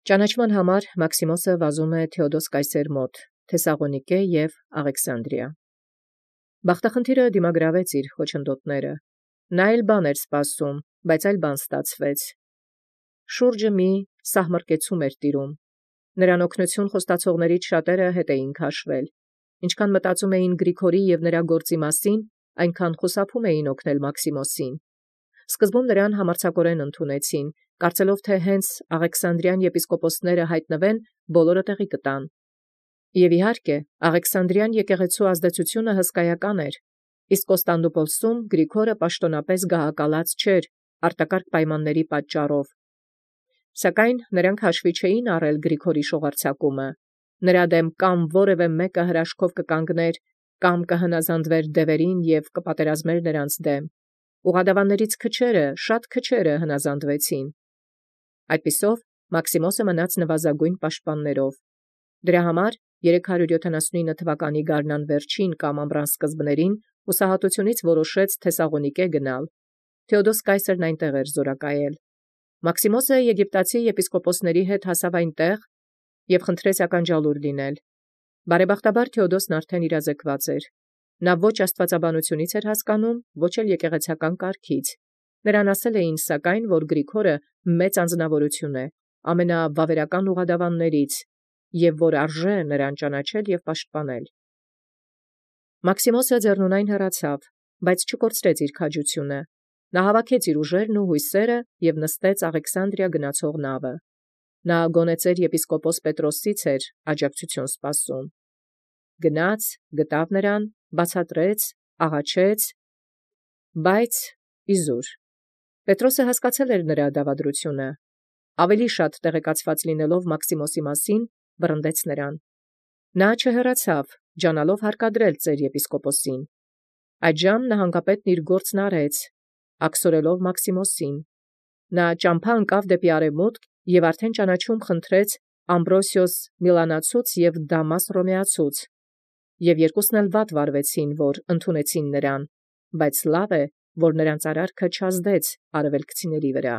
Ճանաչման համար Մաքսիմոսը վազում է Թէոդոս կայսեր մոտ, Թեսաղոնիկե և Աղեքսանդրիա։ Բախտախնդիրը դիմագրավեց իր խոչընդոտները։ Նա էլ բան էր սպասում, բայց այլ բան ստացվեց։ Շուրջը մի սահմռկեցում էր տիրում։ Նրան օգնություն խոստացողներից շատերը հետ էին քաշվել։ Ինչքան մտածում էին Գրիգորի և նրա գործի մասին, այնքան խուսափում էին օգնել Մաքսիմոսին։ Սկզբում նրան համարձակորեն ընդունեցին, կարծելով թե հենց Աղեքսանդրիան եպիսկոպոսները հայտնվեն, բոլորը տեղի կտան։ Եվ իհարկե, Աղեքսանդրիան եկեղեցու ազդեցությունը հսկայական էր, իսկ Կոստանդնուպոլսում Գրիգորը պաշտոնապես գահակալած չէր արտակարգ պայմանների պատճառով։ Սակայն նրանք հաշվի չէին առել Գրիգորի շողարձակումը։ Նրա դեմ կամ որևէ մեկը հրաշքով կկանգներ, կամ կհնազանդվեր դևերին և կպատերազմեր նրանց դեմ։ Ուղղադավաններից քչերը, շատ քչերը հնազանդվեցին։ Այդպիսով Մաքսիմոսը մնաց նվազագույն պաշտպաններով։ Դրա համար 379 թվականի գարնան վերջին կամ ամռան սկզբներին հուսահատությունից որոշեց Թեսաղոնիկե գնալ։ Թէոդոս կայսերն այնտեղ էր զորակայել։ Մաքսիմոսը եգիպտացի եպիսկոպոսների հետ հասավ այնտեղ և խնդրեց ականջալուր լինել։ Բարեբախտաբար Թէոդոսն արդեն իրազեկված էր։ Նա ոչ աստվածաբանությունից էր հասկանում, ոչ էլ եկեղեցական կարգից։ Նրան ասել էին սակայն, որ Գրիգորը մեծ անձնավորություն է, ամենավավերական ուղղադավաններից, և որ արժե նրան ճանաչել և պաշտպանել։ Մաքսիմոսը ձեռնունայն հեռացավ, բայց չկորցրեց իր քաջությունը։ Նա հավաքեց իր ուժերն ու հույսերը և նստեց Աղեքսանդրիա գնացող նավը։ Նա գոնեցեր եպիսկոպոս Պետրոսից էր աջակցություն սպասում։ Գնաց, գտավ նրան, բացատրեց, աղաչեց, բայց իզուր։ Պետրոսը հասկացել էր նրա դավադրությունը։ Ավելի շատ տեղեկացված լինելով Մաքսիմոսի մասին, վռնդեց նրան։ Նա չհեռացավ, ջանալով հարկադրել ծեր եպիսկոպոսին։ Այդժամ նահանգապետն իր գործն արեց, աքսորելով Մաքսիմոսին։ Նա ճամփա ընկավ դեպի արևմուտք և արդեն ճանաչում խնդրեց Ամբրոսիոս Միլանացուց և Դամաս Հռոմեացուց, և երկուսն էլ վատ վարվեցին, որ ընդունեցին նրան, բայց լավ է, որ նրանց արարքը չազդեց արևելքցիների վրա։